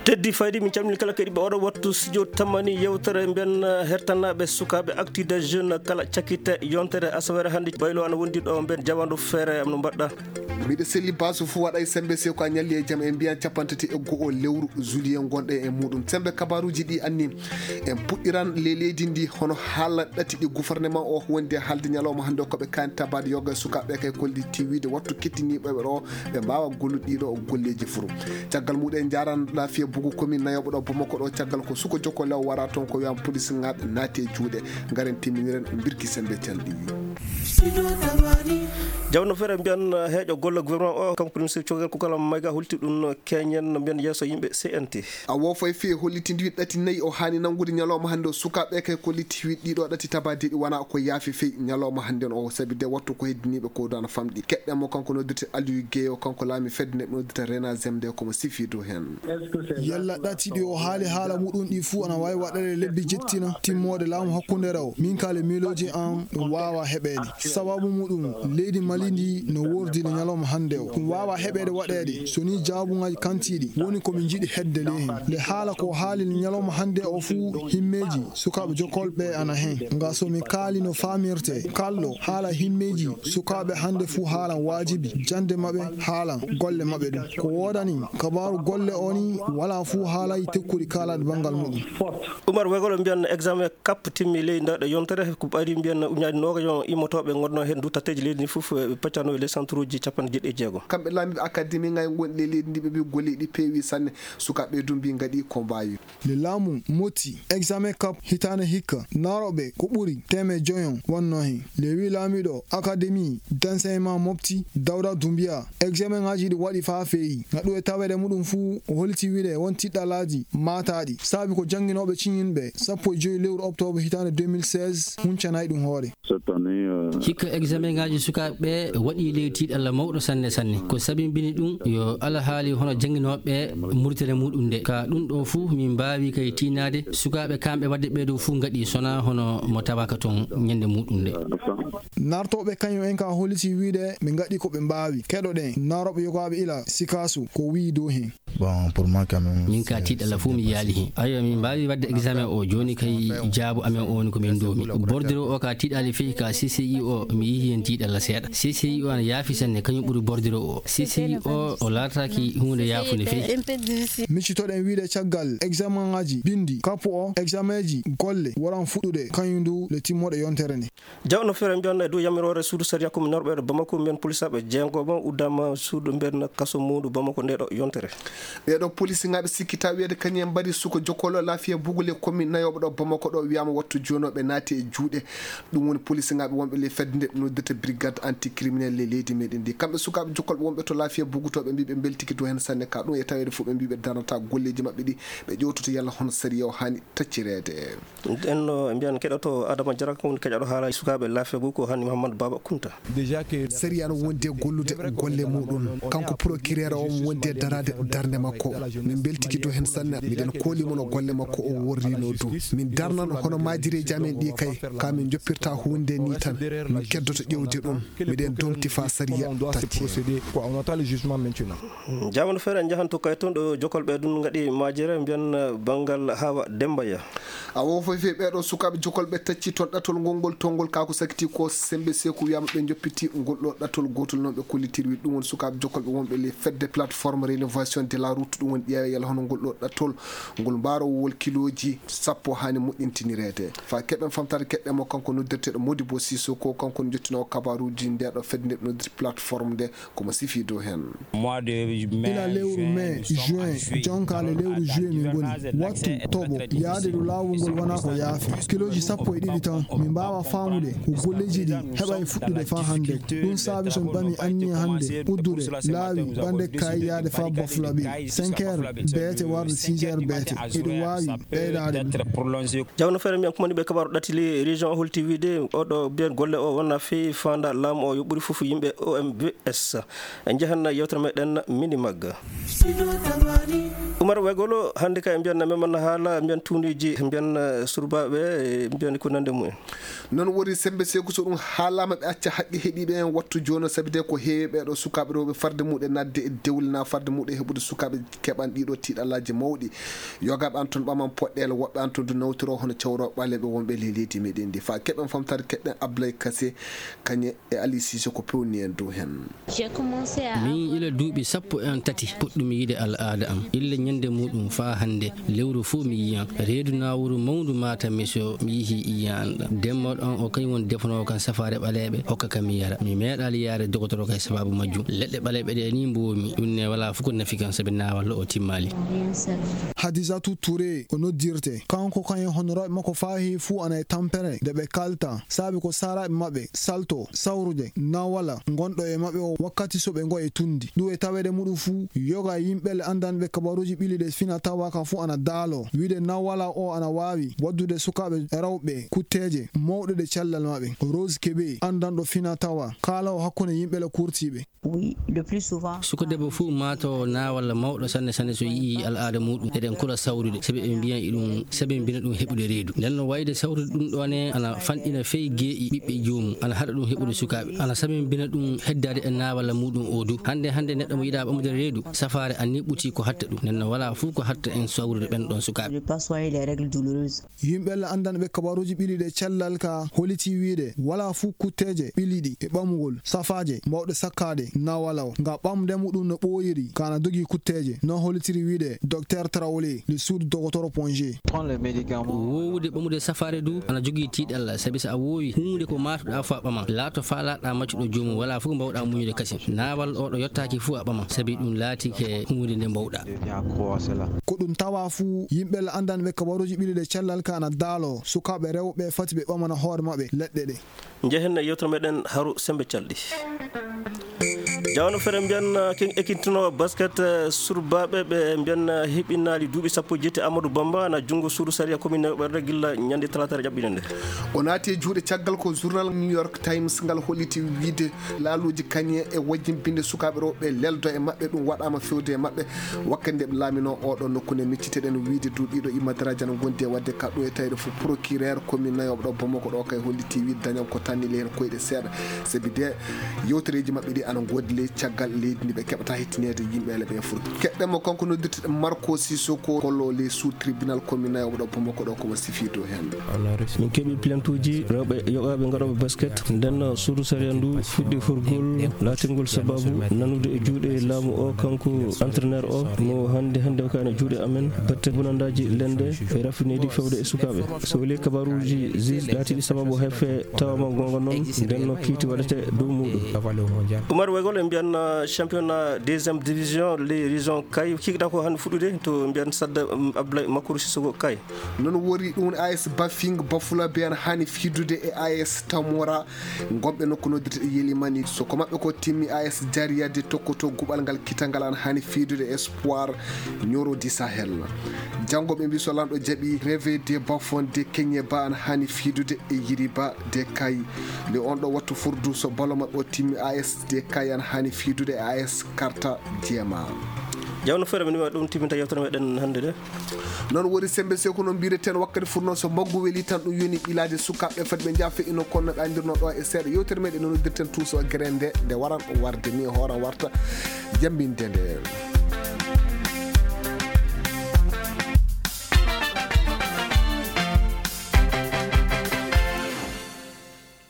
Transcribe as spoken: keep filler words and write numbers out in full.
Teddy Faydi, min calmini kala keɗiiɓe oɗo wattu studio tamani yewtere mbiyen, eh, hertanaaɓe sukaaɓe Actu des Jeunes kala cakkite yontere asawere hannde. Baylo ana wondi ɗo mbiyen jawandu feere am no mbaɗɗa. Miɗo selli basu fuu waɗa e sembe sew ko a ñalli e jam e mbiyan capanɗe tati e go'o lewru juillet ngonɗe e muɗum. Sembe kabaruuji ɗi anni en puɗɗiran le leydi ndi hono haala ɗati ɗi gouvernement o wondi e haalde ñalawma hannde o ko ɓe kaani tabaade yoga e sukaaɓe kay kolli tiwiide wattu kettiniiɓe ɓe ɗo ɓe mbaawa gollude ɗiɗo golleeji furu. Caggal muɗum en njaran laafiya bugu komin nayoɓo ɗo Bamako ɗo caggal ko suko jokko lew wara toon ko wiyan police ŋaaɓe naati e juuɗe. Ngaren timminiren mbirki sembe calɗi. Jawno fere mbiyan heeƴo golle gouvernement o kanko ministre cogel kukalam mayga holti ɗum keñen no mbiyan yeeso yimɓe C N T. A wofay fii e hollitindi ɗati nayi o haani nanngude ñalawma hannde o sukaaɓe kay ko litti wi ɗiɗo ɗati tabadeɗi wona ko yaafi fii ñalawma hannde o sabi de wattu ko heddiniiɓe ko dana famɗi keɗɗe mo kanko noddirte Aliou Guèye o kanko laami fedde nde noddirte Rena Zemde komo sifi dow heen. Yalla ɗati ɗi o haali haala muɗum ɗi fuu ana waawi waɗeede lebbi jettina timmoode laamu hakkunde rewo min kale miilooji an ɗum waawa heɓeede. Sababu muɗum leydi Mali ndi no woordi le ñalawma hannde o. Ɗum waawa heɓeede waɗeede so ni jaabuŋaaji kantiiɗi woni ko min njiɗi hedde ley heen. Nde haala ko haali le ñalawma hannde o fuu himmeeji sukaaɓe jokkolɓe ana heen. Nga so mi kaali no faamirte kalɗo haala himmeeji sukaaɓe hannde fuu haalan waajibi jannde maɓɓe haalan golle maɓɓe ɗum. Ko woodani kabaaru golle o ni wala fuu haalay tekkuɗi kaalaɗi banngal muɗum. Umar Wegol mbiyan examen kap timmi ley nda ɗo yontere ko ɓari mbiyan uñaɗi noga yon immotooɓe ngonno heen du tatteeji leydi ndi fof ɓe peccano e les centre uji capanɗe jeeɗiɗi e jeego. Kamɓe laamiiɓe akademi ngay ngonɗi ley leydi ndi ɓe mbi golleeji ɗi peewi sanne sukaaɓe du mbi ngaɗi ko mbaawi. Nde laamu motti examen kap hitaande hikka naarooɓe ko ɓuri teemeɗɗe joyon wonno heen. Nde wi laamiiɗo akademi d'enseignement mofti Dawda Dumbiya examen ngaji ɗi waɗi faa feeyi. Ngaɗu e taweede muɗum fuu o holiti wiide won tiɗɗalaaji maataaɗi saabi ko jannginooɓe ciñinɓe sappo e joy lewru oktoobre hitaande deux mille seize huncanaay ɗum hoore. Hikka examen ngaji sukaaɓe waɗi ley tiiɗalla mawɗo sanne sanne. Ko sabimbini ɗum yo alhaali hono jannginooɓe murtere muɗum nde. Ka ɗum ɗo fuu min mbaawi kay tiinaade sukaaɓe kamɓe waɗde ɓee ɗo fuu ngaɗi sona hono mo tawaka toon ñande muɗum nde. Nartooɓe kañum en ka holiti wiide ɓe ngaɗi ko ɓe mbaawi. Keɗoɗen narooɓe yogaaɓe ila sikaasu ko wi'i dow heen. Bon, pour moi, quand même, min ka tiiɗalla fof mi yaali heen. Ayo min mbaawi waɗde examen o jooni kay jaabu amen o woni ko min ndoomi. Bordiro o ka tiiɗaali fii ka C C I o mi yihi heen tiiɗalla seeɗa. C C I o ana yaafi sanne kañum ɓuri bordiro o. C C I o o laataaki huunde yaafunde fii. Miccitoɗen wiide caggal examen ngaji binndi kappu o examen ji golle waran fuɗɗude kañum du le timmoɗe yontere nde. Jawno fere mbiyan e dow yamiroore suudu sariya komi norɓe ɗo Bamako mbiyan polisaaɓe jeegomo uddama suudu mbiyan kaso muundu Bamako nde ɗo yontere. Ɓeeɗo polisiŋaaɓe sikkita wiyeede kañum en mbaɗi suko jokkolo laafiya bugule komi nayoɓo ɗo Bamako ɗo wiyama wattu jonooɓe naati e juuɗe. Ɗum woni polisiŋaaɓe wonɓe ley fedde nde noddirta brigade anticriminel ley leydi meɗen ndi kamɓe sukaaɓe jokkolɓe wonɓe to laafiya bugutooɓe mbi ɓe mbeltiki dow heen sanne ka ɗum e taweede fof ɓe mbi ɓe darnata golleeji maɓɓe ɗi ɓe ƴewtoto yalla hono sariya o haani taccireede. Nden no mbiyan keɗoto Adama Jara ko woni keƴaɗo haala sukaaɓe laafegu ko hani Mouhamadou Baba Kounta. Sariya no wondi e gollude golle muɗum. Kanko procureur o wondi e daraade darnde makko. Min mbeltiki dow heen sanne. Miɗen kooli mo no golle makko o worrino du. Min darnan hono maajireeji amen ɗi kay. Ka min joppirta huunde ni tan. Min keddoto ƴewde ɗum. Miɗen domti fa sariya tacci. Jamanu feere en njahan to kay toon ɗo jokolɓe ɗum ngaɗi maajere mbiyan banngal Hawa Demba Ya. A wo foy fey ɓeeɗo sukaaɓe jokolɓe tacci toon ɗatol ngol ngol tongol kako sakiti ko sembe seku wiyama ɓe joppiti ngol ɗo ɗatol gotol noon ɓe kollitirwi ɗum woni sukaaɓe jokolɓe wonɓe les fedde plateforme rénovation de la route ɗum woni ƴeewe yala hono ngol ɗo ɗatol ngol mbarowol kiloji sappo hani moƴƴintinireede fa keɓen famtare keɓɓe mo kanko noddirteɗo Modibo Sissoko kanko jottinowo kabaruji ndeɗo fedde nde noddirte plateforme nde komo sifi dow heen. Ila lewru mai juin jonkaale lewru juillet min ngoni wattu toɓo yaade ɗo laawol ngol wona ko yaafi kiloji sappo e ɗiɗi tan min mbaawa faamude ko golleeji ɗi heɓa e fuɗɗude faa hannde. Ɗum saabi so mi ɓami anniya hannde uddude laawi ɓande kay yaade faa bafulaɓe cinq heures beete warde six heures beete eɗo waawi ɓeydaade ɗum. Jawno feere mbiyan kumani ɓe kabaru ɗatili région o holti wiide oɗo mbiyan golle o wona fii fanda laamu o yo ɓuri fof yimɓe O M V S. En njahan yewtere meɗen mini magga. Umar Wegolo hannde kay mbiyan meman haala mbiyan tuuniji mbiyan surbaaɓe mbiyan ko nande mumen. Noon woni sembe seku so ɗum haalama ɓe acca haqqe heɗiɓe en wattu jono sabi de ko heewi ɓeɗo sukaaɓe rewɓe farde muɗe nadde e dewle na farde muɗe heɓude Kaɓe keɓan ɗiɗo tiiɗallaaji mawɗi. Yogaaɓe an toon ɓaman poɗɗeele, woɓɓe an toon du nawtiro hono cawrooɓe ɓaleeɓe wonɓe ley leydi meɗen ndi. Faa keɓen famtaade, keɗɗen Ablaye Kase, kañe e Ali Sise ko pewni en dow heen. Min ila duuɓi sappo e tati puɗɗumi yiide al'aada am. Illa ñande muɗum faa hannde, lewru fof mi yiyan. Reedu naawuru mawndu maata mi so mi yihi iyan. Demmooɗo on o kañum woni defanoowo kan safaare ɓaleeɓe, hokka kam mi yara. Mi meeɗaali yaare dogotoro kay sababu majjum. Leɗɗe ɓaleeɓe ɗe ni mboomi. Ɗum ne walaa fof ko nafi kan sabi naawal o timmaali. Hadisatu Touré o noddirte. Kanko kañum honoraaɓe makko faa heewi fuu ana e tampere nde ɓe kalta. Saabi ko saaraaɓe maɓɓe salto, sawrude, nawala, ngonɗo e maɓɓe o wakkati so ɓe ngo e tundi. Ɗum e taweede muɗum fuu, yoga yimɓe le anndanɓe kabaruuji ɓili ɗe fina tawa ka fuu ana daalo. Wiide nawala o ana waawi waddude sukaaɓe rewɓe kutteeje mawɗe ɗe cellal maɓɓe. Rose Kebe, anndanɗo fina tawa, kaala o hakkunde yimɓe le kurtiiɓe. Suka debbo fuu maata o nawalla mawɗo sanne sanne so yi'i al'aada muɗum. Eɗen kula sawrude, sabi ɓe mbiyan e ɗum, sabi mbina ɗum heɓude reedu. Nden no wayde sawrude ɗum ɗo ne, ana fanɗina fey geeƴi ɓiɓɓe joomum, ana haɗa ɗum heɓude sukaaɓe, ana sabi mbina ɗum heddaade e nawalla muɗum o du. Hannde, hannde neɗɗo mo yiɗaa ɓamude reedu, safaare a niɓɓuti ko hatta ɗum. Nden no walaa fuu ko hatta en sawrude ɓen ɗon sukaaɓe. Yimɓe le anndanɓe kabaruuji ɓili ɗe cellal ka holiti wiide walaa fuu kutteeje ɓiliɗi e ɓamugol safaaje mawɗe sakkaade nawala o. Nga ɓamde muɗum no ɓooyiri ka na dogii kutteeje, no holitiri wiide Docteur Traoré, le suudu dogotoro Ponje. Wowude ɓamude safaare du ana jogii tiiɗalla, sabi so a wowi huunde ko maatuɗaa fuu a ɓaman. Laato faalaaɗaa maccuɗo joomum, walaa fof ko mbawɗaa muñude kasin. Nawal o ɗo yottaaki fuu a ɓaman, sabi ɗum laatike huunde nde mbawɗaa. Ko ɗum tawa fuu, yimɓe le anndanɓe kabaruuji ɓili ɗe cellal ka ana daalo, sukaaɓe rewɓe fati ɓe ɓamana hoore maɓɓe leɗɗe ɗe. Njehen e yewtere meɗen Haru Sembe Calɗi. Jawano fere mbiyan, eh, ken ekintinoowo basket, eh, surbaaɓe ɓe mbiyan, eh, heɓinaali duuɓi sappo e jeetati Amadou Bamba ana junngo suudu sariya commune ɓerde gilla ñande talaata ƴaɓɓiinde nde. O naati e juuɗe caggal ko journal New York Times ngal holliti wiide laaluuji kañe e wajjimbinde sukaaɓe rewɓe leldo e maɓɓe ɗum waɗaama fewde e maɓɓe. Wakkati nde ɓe laaminoo oɗo nokku nde micciteɗen wiide du ɗiɗo immadaraaji ana ngondi e waɗde ka ɗo e tawde fof procureur commune nayooɓe ɗo Bamako ɗo kay holliti wiide dañan ko tanni heen koyɗe seeɗa. Sabi de yewtereeji maɓɓe ɗi ana ngoodi ley caggal leydi ndi ɓe keɓata hettineede yimɓe ele ɓe foti. Keɗɗen mo kanko noddirteɗen Marco Sissoko kollo ley sous tribunal commune nayooɓe ɗo Bamako ɗo komo sifiido heen. Min keɓi plaintuuji rewɓe yoɓaaɓe ngaɗooɓe basket. Nden suudu sariya ndu fuɗɗi hurgol laatingol sababu nanude e juuɗe laamu o kanko entraîneur o mo hannde hannde o kayna juuɗe amen batte bonandaaji lende e rafineeji fewde e sukaaɓe. So weli kabaruuji juge laatiiɗi sababu heffe tawama goonga noon nden no kiiti waɗete dow muuɗum. Umar Wegol en mbiyan, uh, championnat deuxième division les régions kay kikiɗa ko hannde fuɗɗude to mbiyan sadda, um, Abdoulaye Makuru Sissoko kay. Noon wori ɗum A S Bafing Bafula be an hani fidude e A S Tamora. Gomɓe nokku noddirte Yelimani. So ko maɓɓe ko timmi A S Jariya de tokkoto guɓal ngal kitangal an hani fidude Espoir Nioro di Sahel. Janngo ɓe mbi so lanɗo jaɓi Reve de Bafon de Kenyeba an hani fidude e Yiriba de Kay. Le on ɗo wattu furdu so balo maɓɓe o timmi A S de Kay an hani fidude e A S Karta Jema. Jawno fere mi ɗum timminta yewtere meɗen hannde de. Noon woni sembe seko no mbireten wakkati furno so mbaggu weli tan ɗum yoni ɓilaade sukaaɓe fat ɓe njaha feƴƴino kono no ɓe anndirno ɗo e seeɗa yewtere meɗen no noddirten tuuso gere nde nde waran warde ni hoora warta jambinde nde.